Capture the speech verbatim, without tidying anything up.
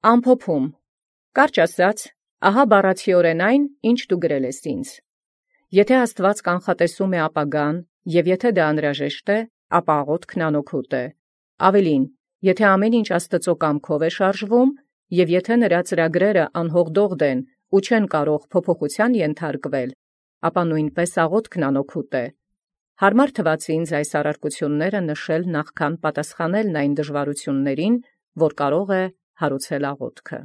Ամփոփում. Կարճ ասած, ահա բառացիորեն այն, ինչ դու գրել ես ինձ. Եթե Աստուած կանխատեսում է ապագան, և եթե դա անհրաժեշտ է, ապա աղոթքն անօգուտ է. Ավելին, եթե ամեն ինչ Աստծո կամքով է շարժվում, և եթե նրա ծրագրերը անհողդողդ են ու չեն կարող փոփոխության ենթարկվել, ապա նույնպես աղոթքն անօգուտ է։ Հարմար թվաց ինձ այս առարկությունները նշել նախքան պատասխանելն այն դժվարություններին, որ կարող է հարուցել աղոթքը։